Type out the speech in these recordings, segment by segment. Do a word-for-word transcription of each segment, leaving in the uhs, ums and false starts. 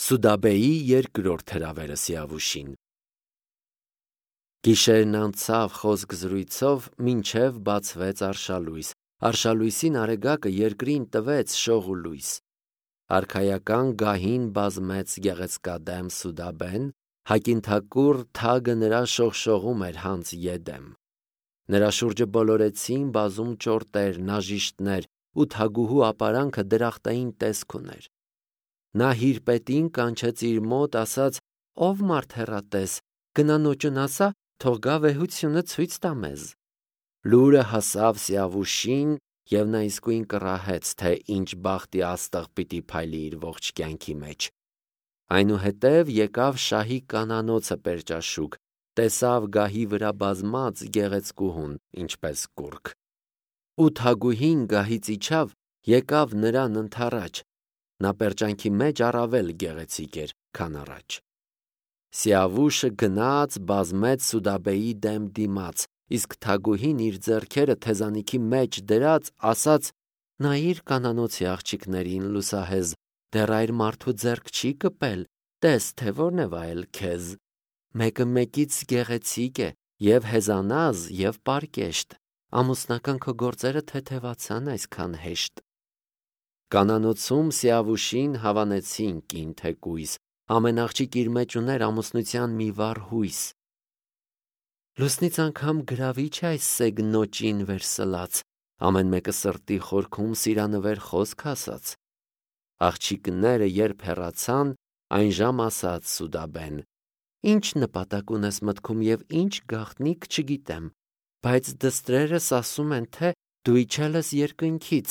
Սուդաբեի երկրորդ հրավերը Սիավուշին։ Գիշերն անցավ խոսք զրույցով, մինչև բացվեց արշալույս։ Արշալույսին արեգակը երկրին տվեց շող ու լույս։ Արքայական գահին բազմեց գեղեցկադեմ Սուդաբեն, հակինթակուռ թագը նրա շողշողում էր հանց եդեմ։ Նրա շուրջը բոլորեցին բազում ճորտեր, նաժիշտներ, ու թագուհու ապարանքը դրախտային տեսք ուներ։ Նա հիրպետին կանչեց իր մոտ, ասաց. «Ով մարդ հեռատես, գնա նոճուն ասա, թող գա վեհությունը ցույց տա մեզ»։ Լուրը հասավ Սիավուշին, և նա իսկույն կռահեց, թե ինչ բախտի աստղ պիտի փայլի իր ողջ կյանքի մեջ։ Այնուհետև եկավ շահի կանանոցը պերճաշուք, տեսավ գահի վրա բազմած գեղեցկուհուն, ինչպես կուռք։ Ու թագուհին գահից իջավ, եկավ նրան ընդառաջ։ Նա պերճանքի մեջ առավել գեղեցիկ էր, քան առաջ։ Սիավուշը գնաց, բազմեց Սուդաբեի դեմ դիմաց, իսկ թագուհին իր ձեռքերը թեզանիքի մեջ դրած, ասաց. «Նայիր կանանոցի աղջիկներին, լուսահեզ, դեռ այր մարդու ձեռք չի կպել, տես, թե որն է վայել քեզ։ Մեկը մեկից գեղեցիկ է, և հեզանազ, և պարկեշտ, ամուսնական քո գործերը թեթևացան այսքան հեշտ»։ Կանանոցում Սիավուշին հավանեցին կին թեկույս, ամեն աղջիկ իր մեջ ուներ ամուսնության մի վառ հույս։ Լուսնից անգամ գրավիչ է այս սեգ նոճին վերսլած, ամեն մեկը սրտի խորքում սիրանվեր խոսք ասաց։ Աղջիկները երբ հեռացան, այնժամ ասաց Սուդաբեն. «Ինչ նպատակ ունես մտքում և ինչ գաղտնիք չգիտեմ, բայց դստրերս ասում են, թե դու իջել ես երկնքից,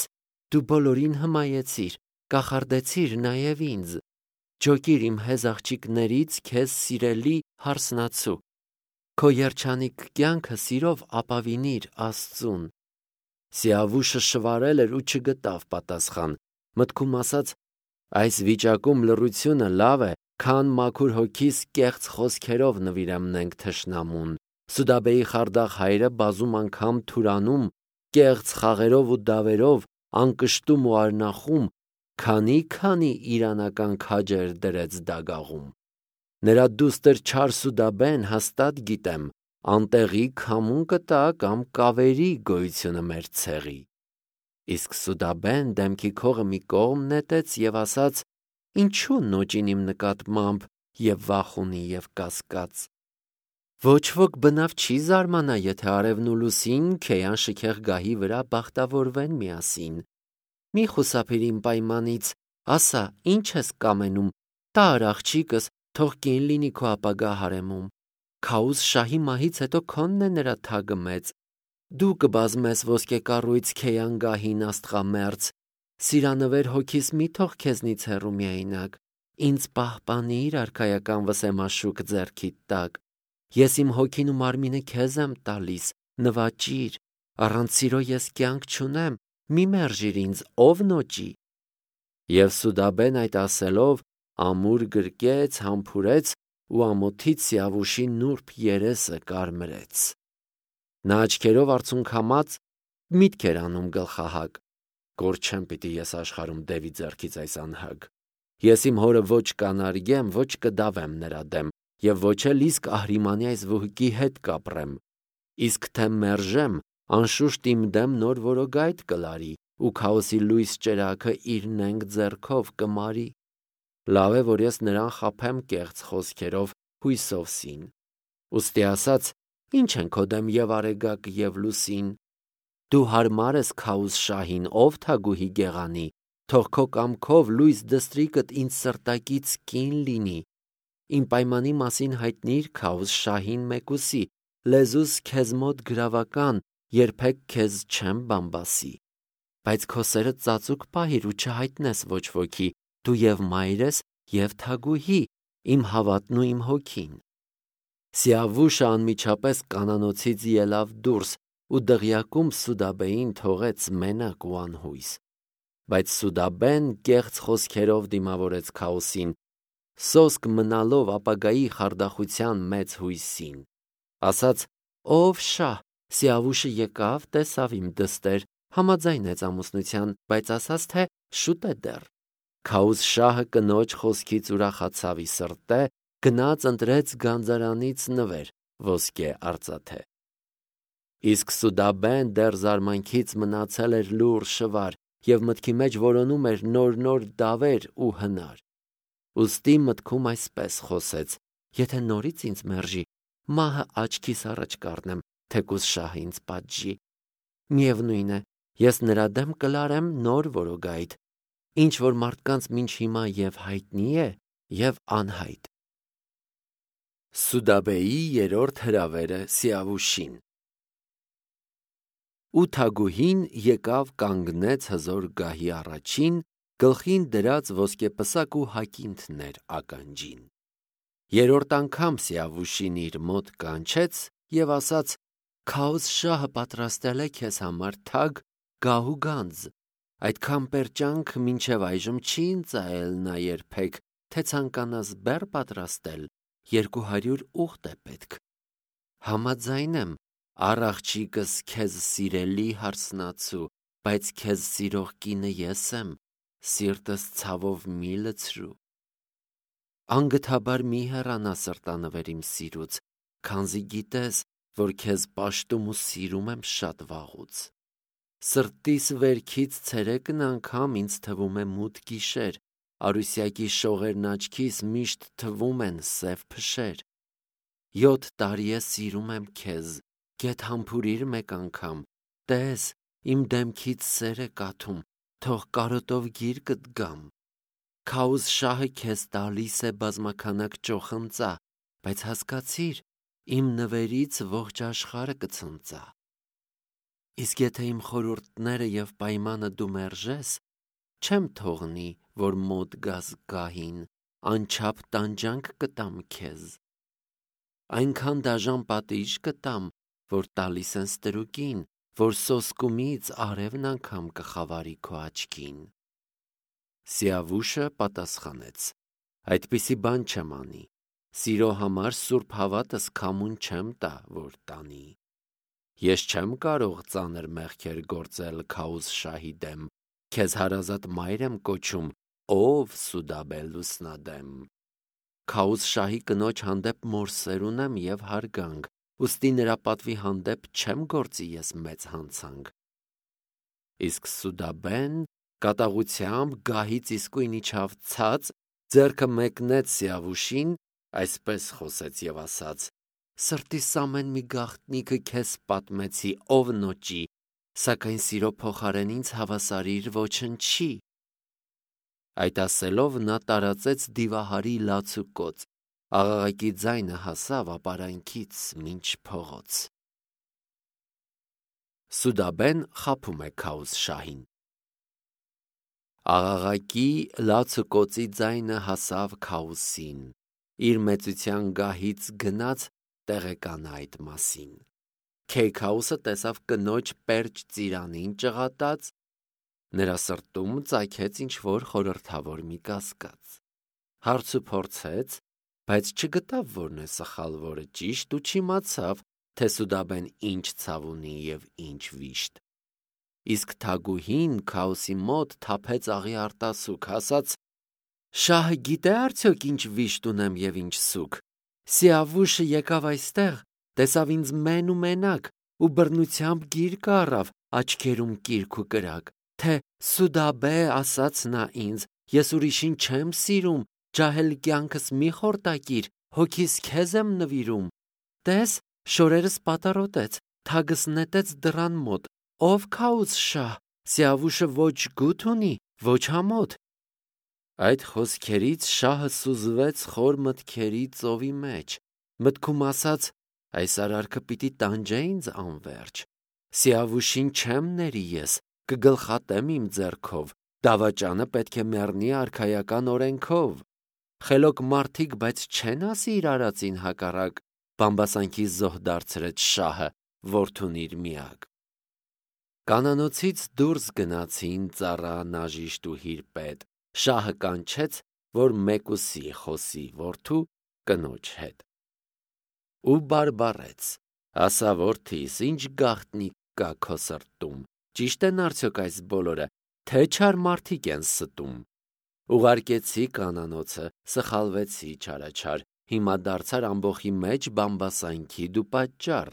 դու բոլորին հմայեցիր, կախարդեցիր նաև ինձ։ Ջոկիր իմ հեզ աղջիկներից քեզ սիրելի հարսնացու։ Քո երջանիկ կյանքը սիրով ապավինիր Աստծուն»։ Սիավուշը շվարել էր ու չգտավ պատասխան, մտքում ասաց. «Այս վիճակում լռությունը լավ է, քան մաքուր հոգիս կեղծ խոսքերով նվիրեմնենք թշնամուն։ Սուդաբեի խարդախ հայրը բազում անգամ թուրանում, կեղծ խաղերով ու դավերով, անկշտում ու արնախում, քանի՛-քանի իրանական քաջեր դրեց դագաղում։ Նրա դուստր չար Սուդաբեն, հաստատ գիտեմ, անտեղի քամուն կտա կամ կավերի գոյությունը մեր ցեղի»։ Իսկ Սուդաբեն դեմքի քողը մի կողմ նետեց և ասաց. «Ինչու նոճին իմ նկատմամբ և վախ ունի և կասկած։ Ոչ ոք բնավ չի զարմանա, եթե արևն ու լուսին քեյան շքեղ գահի վրա բախտավորվեն միասին։ Մի խուսափիր իմ պայմանից, ասա, ինչ ես կամենում, տա՛ր աղջիկս, թող կին լինի քո ապագա հարեմում։ Քաուզ շահի մահից հետո քոնն է նրա թագը մեծ։ Դու կբազմես ոսկե կառույց քեյան գահին աստղամերձ։ Սիրանվեր հոգիս մի թող քեզնից հեռու միայնակ։ Ինձ պահպանիր արքայական վսեմաշուք ձեռքիդ տակ։ Ես իմ հոգին ու մարմինը քեզ եմ տալիս, նվաճիր։ Առանց սիրո ես կյանք չունեմ, մի մերժիր ինձ, ով նոճի»։ Եվ Սուդաբեն այդ ասելով ամուր գրկեց, համբուրեց ու ամոթից Սիավուշի նուրբ երեսը կարմրեց։ Նա աչքերով արցունքամած միտք էր անում գլխահակ. «Կորչեմ պիտի ես աշխարհում դևի ձեռքից այս անհագ։ Ես իմ հորը ոչ կանարգեմ, ոչ կդավեմ նրա դեմ, և ոչ էլ իսկ Ահրիմանի այս վհուկի հետ կապրեմ։ Իսկ թե մերժեմ, անշուշտ իմ դեմ նոր որոգայթ կլարի, ու քաոսի լույս ճրագը իր նենգ ձեռքով կմարի։ Լավ է, որ ես նրան խաբեմ կեղծ խոսքերով, հույսով սին։ Ուստի ասաց. «Ինչ են քո դեմ և արեգակ, և լուսին։ Դու հարմար ես քաուզ շահին, ով թագուհի գեղանի, թող քո կամքով լույս դստրիկդ ինձ սրտակից կին լինի։ Իմ պայմանի մասին հայտնիր քաուզ շահին մեկուսի, լեզուս քեզ մոտ գրավական, երբեք քեզ չեմ բամբասի։ Բայց քո սերը ծածուկ պահիր ու չհայտնես ոչ ոքի, դու և մայր ես, և թագուհի, իմ հավատն ու իմ հոգին»։ Սիավուշը անմիջապես կանանոցից ելավ դուրս ու դղյակում Սուդաբեին թողեց մենակ ու անհույս։ Բայց Սուդաբեն կեղծ խոսքերով դիմավորեց քաոսին, սոսկ մնալով ապագայի խարդախության մեծ հույսին։ Ասաց. «Ով շահ, Սիավուշը եկավ, տեսավ իմ դստեր, համաձայնեց ամուսնության, բայց ասաց, թե շուտ է դեռ։ Քաուզ շահը կնոջ խոսքից ուրախացավ ի սրտե, գնաց ընտրեց գանձարանից նվեր, ոսկե արծաթե։ Իսկ Սուդաբեն դեռ զարմանքից մնացել էր լուռ շվար և մտքի մեջ որոնում էր նոր-նոր դավեր ու հնար։ Ուստի մտքում այսպես խոսեց. եթե նորից ինձ մերժի, մահը աչքիս առաջ կառնեմ, թեկուզ շահը ինձ պատժի։ Միևնույն է, ես նրա դեմ կլարեմ նոր որոգայթ, ինչ որ մարդկանց մինչ հիմա և հայտնի է, և անհայտ։ Սուդաբեի երրորդ հրավերը Սիավուշին։ Ութագուհին եկավ կանգնեց հզոր գահի առաջին, գլխին դրած ոսկեպսակ ու հակինթներ ականջին։ Երրորդ անգամ Սիավուշին իր մոտ կանչեց և ասաց. «Քաուզ շահը պատրաստել է քեզ համար թագ գահ ու գանձ, այդքան պերճանք մինչև այժմ չի ընծայել նա երբեք, թե ցանկանաս բեռ պատրաստել, երկու հարյուր ուղտ է պետք։ Համաձայն եմ, առ աղջիկս քեզ սիրելի հարսնացու, բայց քեզ սիրող կինը ես եմ, սիրտս ցավով մի լցրու։ Անգթաբար մի հեռանա սրտանվեր իմ սիրուց, քանզի գիտես, որ քեզ պաշտում ու սիրում եմ շատ վաղուց։ Սրտիս վերքից ցերեկն անգամ ինձ թվում է մութ գիշեր, արուսյակի շողերն աչքիս միշտ թվում են սև փշեր։ Յոթ տարի է սիրում եմ քեզ, գեթ համբուրիր մեկ անգամ, տես, իմ դեմքից սեր է կաթում, թող կարոտով գիրկդ գամ։ Քաուզ շահը քեզ տալիս է բազմաքանակ ճոխընծա, բայց հասկացիր, իմ նվերից ողջ աշխարհը կցնծա։ Իսկ եթե իմ խորհուրդները և պայմանը դու մերժես, չեմ թողնի, որ մոտ գաս գահին, անչափ տանջանք կտամ քեզ։ Այնքան դաժան պատիժ կտամ, որ տալիս են ստրուկին, որ սոսկումից արևն անգամ կխավարի քո աչքին։ Սիավուշը պատասխանեց. այդպիսի բան չեմ անի, սիրո համար սուրբ հավատս քամուն չեմ տա, որ տանի։ Ես չեմ կարող ծանր մեղքեր գործել Քաուզ շահի դեմ, քեզ հարազատ մայր եմ կոչում, ով Սուդաբե լուսնադեմ։ Քաուզ շահի կնոջ հանդեպ մորսեր ունեմ և հարգանք, ուստի նրա պատվի հանդեպ չեմ գործի ես մեծ հանցանք։ Իսկ Սուդաբեն կատաղությամբ գահից իսկույն իջավ ցած, ձեռքը մեկնեց Սիավուշին, այսպես խոսեց և ասաց. «Սրտիս ամեն մի գաղտնիքը քեզ պատմեցի, ով նոճի, սակայն սիրո փոխարեն ինձ հավասարիր ոչնչի»։ Այդ ասելով նա տարածեց դիվահարի լաց ու կոծ, աղաղակի ձայնը հասավ ապարանքից մինչ փողոց։ Սուդաբեն խաբում է Քաուզ շահին։ Աղաղակի լաց ու կոծի ձայնը հասավ Քաուսին, իր մեծության գահից գնաց տեղեկանա այդ մասին։ Քեյքաուսը տեսավ կնոջ պերճ ծիրանին ճղատած, նրա սրտում ծագեց ինչ-որ խորհրդավոր մի կասկած։ Հարց ու փորձեց, բայց չգտավ որն է սխալ, որը ճիշտ ու չիմացավ, թե Սուդաբեն ինչ ցավ ունի և ինչ վիշտ։ Իսկ թագուհին Քաուսի մոտ թափեց աղի արտասուք, ասաց. «Շահը գիտե՞ արդյոք ինչ վիշտ ունեմ և ինչ սուգ։ Սիավուշը եկավ այստեղ, տեսավ ինձ մեն ու մենակ ու բռնությամբ գիրկը առավ, աչքերում կիրք ու կրակ, թե Սուդաբե, ասաց նա ինձ, ես ուրիշին չեմ սիրում, ջահել կյանքս մի խորտակիր, հոգիս քեզ եմ նվիրում։ Տես, շորերս պատառոտեց, թագս նետեց դռան մոտ, ով Քաուզ շահ, Սիավուշը ոչ գութ ունի, ոչ ամոթ»։ Այդ խոսքերից շահը սուզվեց խոր մտքերի ծովի մեջ, մտքում ասաց. այս արարքը պիտի տանջե ինձ անվերջ։ Սիավուշին չեմ ների ես, կգլխատեմ իմ ձեռքով, դավաճանը պետք է մեռնի արքայական օրենքով։ Խելոք մարդիկ բայց չեն ասի իր արածին հակառակ, բամբասանքի զոհ դարձրեց շահը, որդուն իր միակ։ Կանանոցից դուրս գնացին ծառա, նաժիշտ ու հիրպետ, շահը կանչեց, որ մեկուսի խոսի որդու կնոջ հետ։ Ու բարբառեց. ասա որդիս, ինչ գաղտնիք կա քո սրտում, ճիշտ են արդյոք այս բոլորը, թե չար մարդիկ են ստում։ Ուղարկեցի կանանոցը, սխալվեցի չարաչար, հիմա դարձար ամբոխի մեջ բամբասանքի դու պատճառ։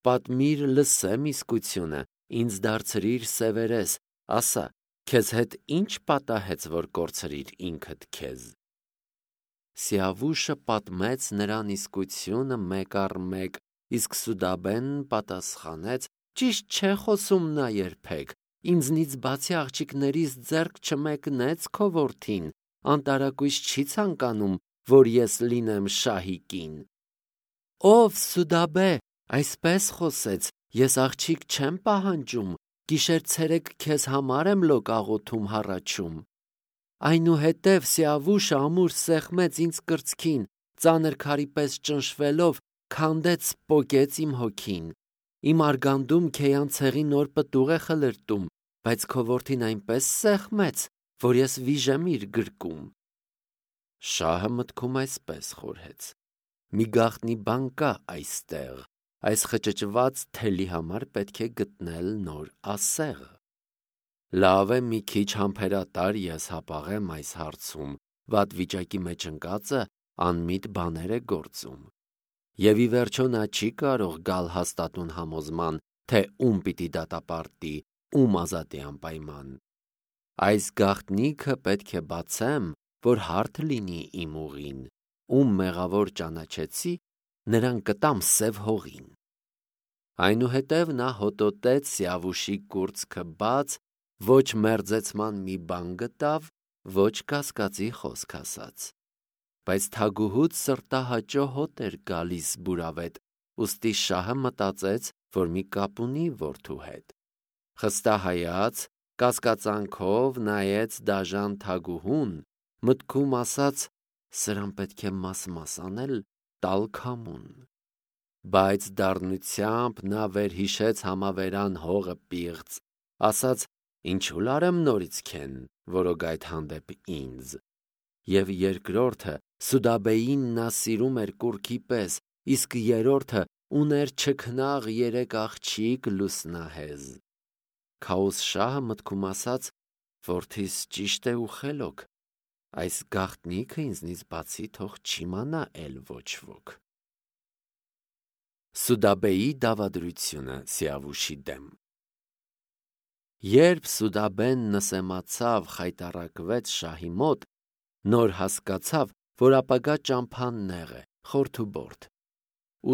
Պատմիր լսեմ իսկությունը, ինձ դարձրիր սևերես, ասա, քեզ հետ ինչ պատահեց, որ կորցրիր ինքդ քեզ։ Սիավուշը պատմեց նրան իսկությունը մեկ առ մեկ, իսկ Սուդաբեն պատասխանեց. ճիշտ չէ խոսում նա երբեք, ինձնից բացի աղջիկներիս ձեռք չմեկնեց քո որդին, անտարակույս չի ցանկանում, որ ես լինեմ շահի կին։ Ով Սուդաբե, այսպես խոսեց, ես աղջիկ չեմ պահանջում, գիշեր-ցերեկ քեզ համար եմ լոկ աղոթում հառաչում։ Այնուհետև Սիավուշը ամուր սեղմեց ինձ կրծքին, ծանր քարի պես ճնշվելով, քանդեց, պոկեց իմ հոգին։ Իմ արգանդում քեյան ցեղի նոր պտուղ է խլրտում, բայց քո որդին այնպես սեղմեց, որ ես վիժեմ իր գրկում։ Շահը մտքում այսպես խորհեց. մի գաղտնի բան կա այստեղ, այս խճճված թելի համար պետք է գտնել նոր ասեղ։ Լավ է մի քիչ համբերատար ես հապաղեմ այս հարցում, վատ վիճակի մեջ ընկածը անմիտ բաներ է գործում։ Եվ ի վերջո նա չի կարող գալ հաստատուն համոզման, թե ում պիտի դատապարտի, ում ազատի անպայման։ Այս գաղտնիքը պետք է բացեմ, որ հարթ լինի իմ ուղին, ում մեղավոր ճանաչեցի, նրան կտամ սև հողին։ Այնուհետև նա հոտոտեց Սիավուշի կուրծքը բաց, ոչ մերձեցման մի բան գտավ, ոչ կասկածի խոսք ասաց։ Բայց թագուհուց սրտահաճո հոտ էր գալիս բուրավետ, ուստի շահը մտածեց, որ մի կապ ունի որդու հետ։ Խստահայաց, կասկածանքով նայեց դաժան թագուհուն, մտքում ասաց. սրան պետք է մաս-մաս անել, տալ քամուն։ Բայց դառնությամբ նա վերհիշեց համավերան հողը պիղծ, ասաց. ինչու լարեմ նորից քեն, որոգ այդ հանդեպ ինձ։ Եվ երկրորդը Սուդաբեին նա սիրում էր կուռքի պես, իսկ երրորդը ուներ չքնաղ երեք աղջիկ լուսնահեզ։ Քաոս շահը մտքում ասաց. որդիս ճիշտ է ու խելոք, այս գաղտնիքը ինձնից բացի թող չիմանա էլ ոչ ոք։ Սուդաբեի դավադրությունը Սիավուշի դեմ։ Երբ Սուդաբեն նսեմացավ, խայտառակվեց շահի մոտ, նոր հասկացավ, որ ապագա ճամփան նեղ է, խորթուբորթ։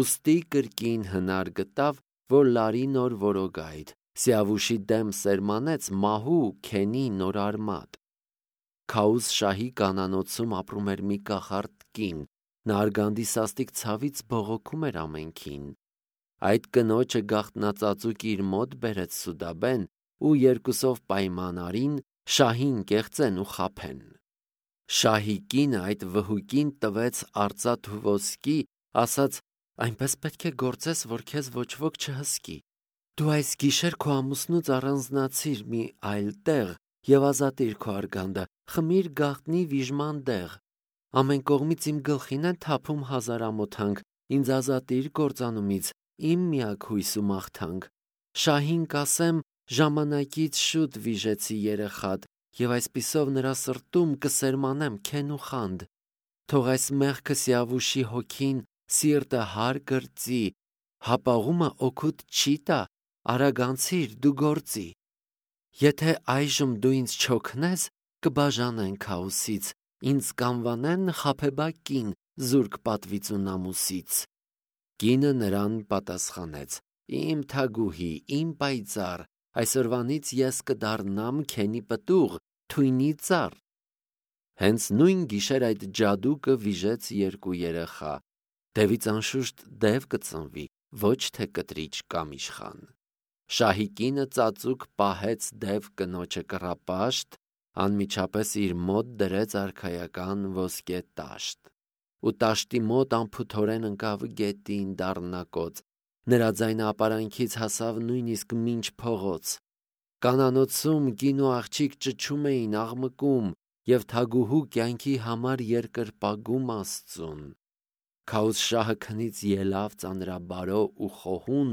Ուստի կրկին հնար գտավ, որ լարի նոր որոգայթ, Սիավուշի դեմ սերմանեց մահու քենի նոր արմատ։ Քաուս շահի կանանոցում ապրում էր մի կախարդ կին, նա արգանդի սաստիկ ցավից բողոքում էր ամենքին։ Այդ կնոջը գաղտնածածուկ իր մոտ բերեց Սուդաբեն ու երկուսով պայման արին շահին կեղծեն ու խաբեն։ Շահի կինը այդ վհուկին տվեց արծաթ ու ոսկի, ասաց. այնպես պետք է գործես, որ քեզ ոչ ոք չհսկի։ Դու այս գիշեր քո ամուսնուց առանձնացիր մի այլ տեղ և ազատիր քո արգանդը, խմիր գաղտնի վիժման դեղ։ Ամեն կողմից իմ գլխին են թափում հազար ամոթանք, ինձ ազատիր կործանումից, իմ միակ հույս ու մաղթանք։ Շահին կասեմ, ժամանակից շուտ վիժեցի երեխադ, և այսպիսով նրա սրտում կսերմանեմ քեն ու խանդ։ Թող այս մեղքը Սիավուշի հոգին սիրտը հար կրծի, հապաղումը օգուտ չի տա, արագանցիր դու գործի։ Եթե այժմ դու ինձ չօգնես, կբաժանեն Քաոսից, ինձ կանվանեն խաբեբա կին, զուրկ պատվից ու նամուսից։ Կինը նրան պատասխանեց. իմ թագուհի, իմ պայծառ, այսօրվանից ես կդառնամ քենի պտուղ, թույնի ծառ։ Հենց նույն գիշեր այդ ջադուկը վիժեց երկու երեխա, դևից անշուշտ դև կծնվի, ոչ թե կտրիճ կամ իշխան։ Շահի կինը ծածուկ պահեց դև կնոջը կռապաշտ, անմիջապես իր մոտ դրեց արքայական ոսկե տաշտ, ու տաշտի մոտ անփութորեն ընկավ գետին դառնակոծ, նրա ձայնը ապարանքից հասավ նույնիսկ մինչ փողոց։ Կանանոցում կին ու աղջիկ ճչում էին, աղմկում և թագուհու կյանքի համար երկրպագում Աստծուն։ Քաոս շահը քնից ելավ ծանրաբարո ու խոհուն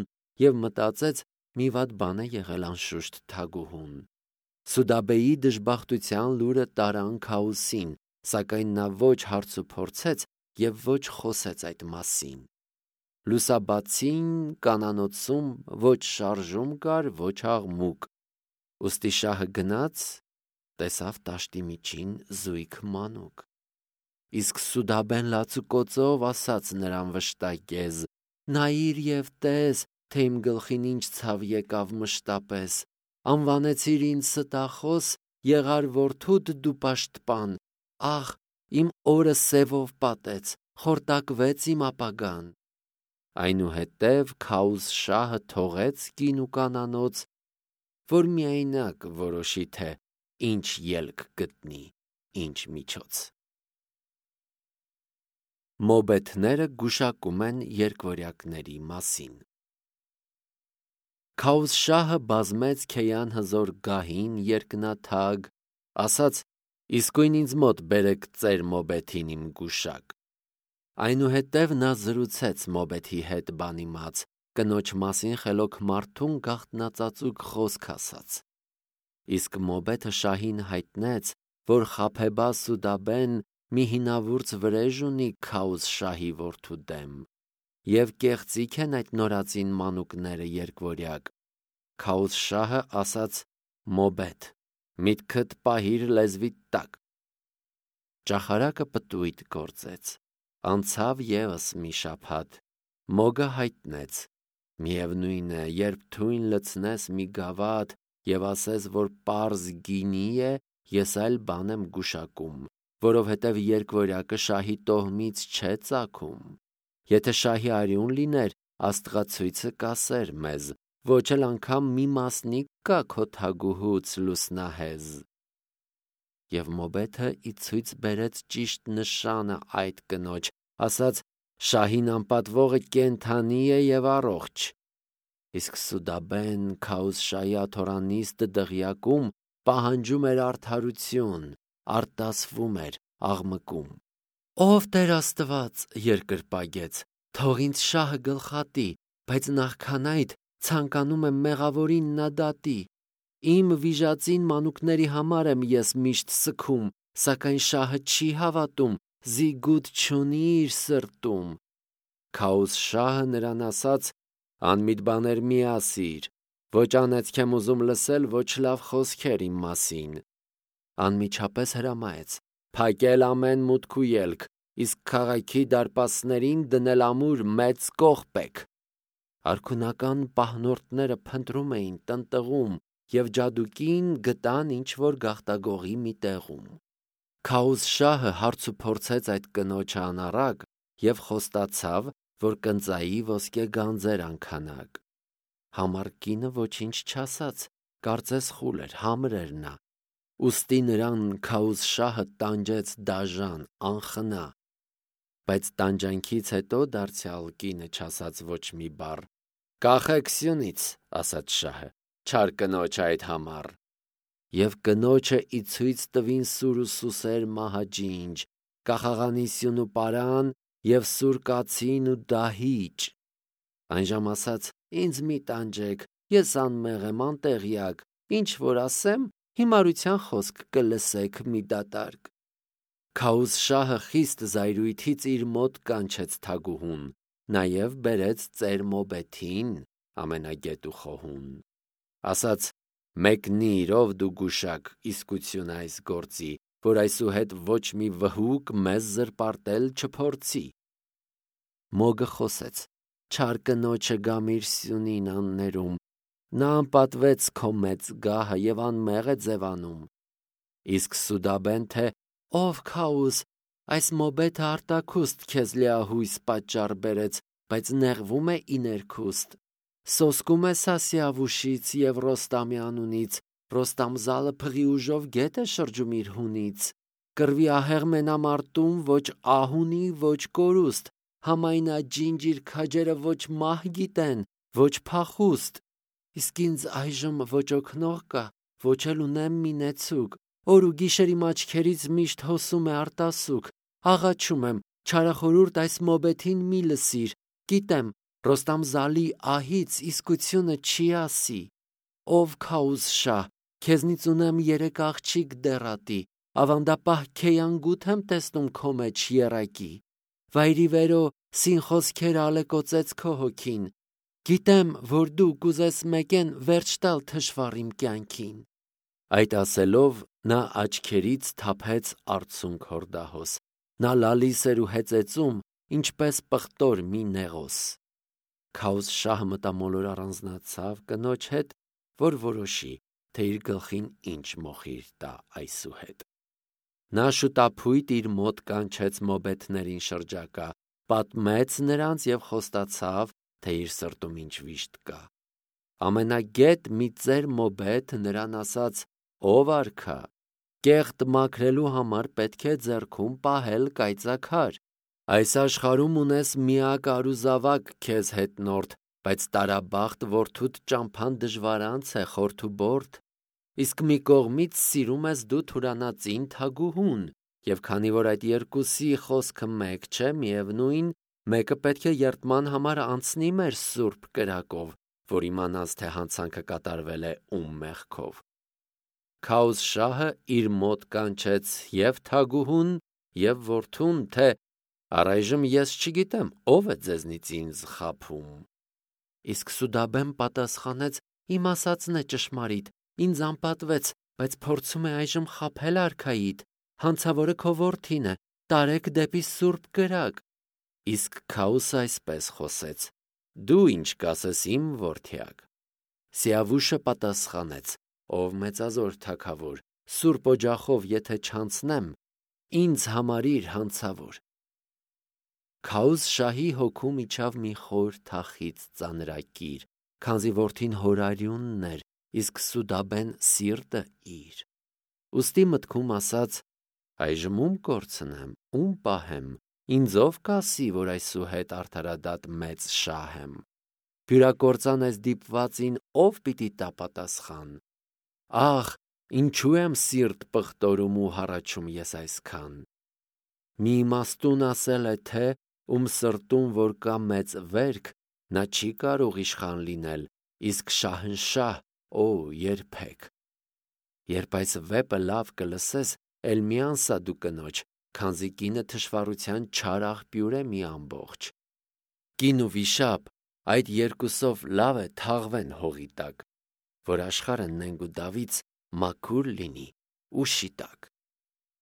և մտածեց. մի վատ բան է եղել անշուշտ թագուհուն։ Սուդաբեի դժբախտության լուրը տարան Քաոսին, սակայն նա ոչ հարց ու փորձեց և ոչ խոսեց այդ մասին։ Լուսաբացին կանանոցում ոչ շարժում կար, ոչ աղմուկ։ Ուստի շահը գնաց, տեսավ տաշտի միջին զույգ մանուկ։ Իսկ Սուդաբեն լացուկոծով ասաց նրան վշտակեզ. «Նայիր և տես, թե իմ գլխին ինչ ցավ եկավ մշտապես, անվանեցիր ինձ ստախոս, եղար որդուդ դու պաշտպան, ահ, իմ օրը սևով պատեց, խորտակվեց իմ ապագան»։ Այնուհետև Քաոս շահը թողեց կին ու կանանոց, որ միայնակ որոշի, թե ինչ ելք գտնի, ինչ միջոց։ Մոբեթները գուշակում են երկվորյակների մասին։ Քաոս շահը բազմեց Քեյան հզոր գահին երկնաթագ, ասաց. «Իսկույն ինձ մոտ բերեք ծեր մոբեթին իմ գուշակ»։ Այնուհետև նա զրուցեց մոբեթի հետ բանիմաց, կնոջ մասին խելոք մարդուն գաղտնածածուկ խոսք ասաց։ Իսկ մոբեթը շահին հայտնեց, որ խաբեբա Սուդաբեն մի հինավուրց վրեժ ունի Քաոս շահի որդու դեմ, և կեղծիք են այդ նորածին մանուկները երկվորյակ։ Քաոս շահը ասաց. «Մոբեթ, միտքդ պահիր լեզվիդ տակ»։ Ճախարակը պտույտ գործեց։ Անցավ ևս մի շաբաթ, մոգը հայտնեց. միևնույն է, երբ թույն լցնես մի գավաթ և ասես, որ պարզ գինի է, ես այլ բան եմ գուշակում, որովհետև երկվորյակը շահի տոհմից չէ ծագում։ Եթե շահի արյուն լիներ, Աստղացույցը կասեր մեզ, ոչ էլ անգամ մի մասնիկ կա քո թագուհուց լուսնահեզ։ Եվ մոբեթը ի ցույց բերեց ճիշտ նշանը այդ կնոջ, ասաց. «Շահին անպատվողը կենդանի է և առողջ»։ Իսկ Սուդաբեն Քաոս շահի աթոռանիստ դղյակում պահանջում էր արդարություն, արտասվում էր, աղմկում։ «Ով Տեր Աստված, երկրպագեց, թող ինձ շահը գլխատի, բայց նախքան այդ ցանկանում եմ մեղավորին նա դատի։ Իմ վիժածին մանուկների համար եմ ես միշտ սգում, սակայն շահը չի հավատում, զիգուտ չունի իր սրտում»։ Քաոս շահը նրան ասաց. «Անմիտ բաներ մի ասիր, ոչ անեծք եմ ուզում լսել, ոչ լավ խոսքեր իմ մասին»։ Անմիջապես հրամայեց. «Փակել ամեն մուտք ու ելք, իսկ քաղաքի դարպասներին դնել ամուր մեծ կողպեք»։ Արքունական պահնորդները փնտրում էին, տնտղում և ջադուկին գտան ինչ-որ գաղտագողի մի տեղում։ Քաոս շահը հարց ու փորձեց այդ կնոջը անառակ և խոստացավ, որ կընծայի ոսկե գանձեր անքանակ։ Համառ կինը ոչինչ չասաց, կարծես խուլ էր, համր էր նա։ Ուստի նրան Քաոս շահը տանջեց դաժան, անխնա։ Բայց տանջանքից հետո դարձյալ կինը չասաց ոչ մի բառ։ «Կախեք սյունից», ասաց շահը, «չար կնոջ այդ համար»։ Եվ կնոջը ի ցույց տվին սուր ու սուսեր մահաջինջ, կախաղանի սյուն ու պարան և սուր կացին ու դահիճ։ Այնժամ ասաց. «Ինձ մի տանջեք, ես անմեղ եմ, անտեղյակ, ինչ որ ասեմ, հիմարության խոսք կլսեք մի դատարկ»։ Քաոս շահը խիստ զայրույթից իր մոտ կանչեց թագուհուն, նաև բերեց ծեր մոբեթին, ամենագետ ու խոհուն։ Ասաց. «Մեկնիր, ով դու գուշակ, իսկություն այս գործի, որ այսուհետ ոչ մի վհուկ մեզ զրպարտել չփորձի»։ Մոգը խոսեց. «Չար կնոջը գամիր սյունին աններում, նա անպատվեց քո մեծ գահը և անմեղ է ձևանում»։ Իսկ Սուդաբեն թե. «Ով Քաոս, այս մոբեթը արտաքուստ քեզ լիահույս պատճառ բերեց, բայց նեղվում է ի ներքուստ։ Սոսկում է Սասիավուշից և Ռոստամի անունից, Ռոստամզալը փղի ուժով գետ է շրջում իր հունից։ Կռվի ահեղ մենամարտում ոչ ահ ունի, ոչ կորուստ, համայն աջինջ իր քաջերը ոչ մահ գիտեն, ոչ փախուստ։ Իսկ ինձ այժմ ոչ օգնող կա, ոչ էլ ունեմ մի նեցուկ, օր ու գիշեր իմ աչքերից միշտ հոսում է արտասուք, աղաչում եմ, չարախորհուրդ այս մոբեթին մի լսիր, գիտեմ, Ռոստամզալի ահից իսկությունը չի ասի։ Ով Քաոս շահ, Քեզնից ունեմ երեք աղջիկ դեռատի, ավանդապահ քեյանգութ եմ տեսնում քո մեջ երակի, վայրի վերո սին խոսքեր ալեկոծեց քո հոգին, գիտեմ, որ դու կուզես մեկեն վերջ տալ թշվառ իմ կյանքին։ Այդ ասելով նա աչքերից թափեց արցունք հորդահոս, նա լալիս էր ու հեծեծում, ինչպես պղտոր մի նեղոս։ Քաուզ շահը մտամոլոր առանձնացավ կնոջ հետ, որ որոշի, թե իր գլխին ինչ մոխիր տա այսուհետ։ Նա շուտափույթ իր մոտ կանչեց մոբեթներին շրջակա, պատմեց նրանց և խոստացավ, թե իր սրտում ինչ վիշտ կա։ Ամենագետ մի ծեր մոբեթ նրան ասաց. «Ով արքա, կեղտ մաքրելու համար պետք է ձեռքում պահել կայծաքար։ Այս աշխարհում ունես միակ արուզավակ քեզ հետնորդ, բայց տարաբախտ որդուդ ճամփան դժվարանց է խորթուբորդ։ Իսկ մի կողմից սիրում ես դու թուրանածին թագուհուն, և քանի որ այդ երկուսի խոսքը մեկ չէ, միևնույն, մեկը պետք է երդման համար անցնի մեր սուրբ կրակով, որ իմանաս, թե հանցանքը կատարվել է ում մեղքով»։ Քաուզ շահը իր մոտ կանչեց և թագուհուն, և որդուն, թե առայժմ ես չգիտեմ, ով է ձեզնից ինձ խաբում։ Իսկ Սուդաբեն պատասխանեց. «Իմ ասածն է ճշմարիտ, ինձ անպատվեց, բայց փորձում է այժմ խաբել արքայիդ, հանցավորը քո որդին է, տարեք դեպի սուրբ կրակ»։ Իսկ Քաուսը այսպես խոսեց. «Դու ինչ կասես իմ որդյակ»։ Սիավուշը պատասխանեց. «Ով մեծազոր թագավոր, սուրբ օջախով եթե չանցնեմ, ինձ համարիր հանցավոր»։ Քաուզ շահի հոգում իջավ մի խոր թախիծ ծանրակիր, քանզի որդին հորարյունն էր, իսկ Սուդաբեն սիրտը իր։ Ուստի մտքում ասաց. «Այժմ ում կորցնեմ, ում պահեմ, ինձ ով կասի, որ այսուհետ արդարադատ մեծ շահ եմ։ Բյուրակործան այս դիպվածին ով պիտի տա պատասխան։ Ախ, ինչու եմ սիրտ պղտորում ու հառաչում ես այսքան։ Մի իմաստուն ասել է, թե ում սրտում որ կա մեծ վերք, նա չի կարող իշխան լինել, իսկ շահնշահ, օ, երբեք։ Երբ այս վեպը լավ կլսես, էլ մի անսա դու կնոջ, քանզի կինը թշվառության չար աղբյուր է մի ամբողջ։ Կին ու վիշապ այդ երկուսով լավ է թաղվեն հողի տակ, որ աշխարհը նենգ ու դավից մաքուր լինի ու շիտակ»։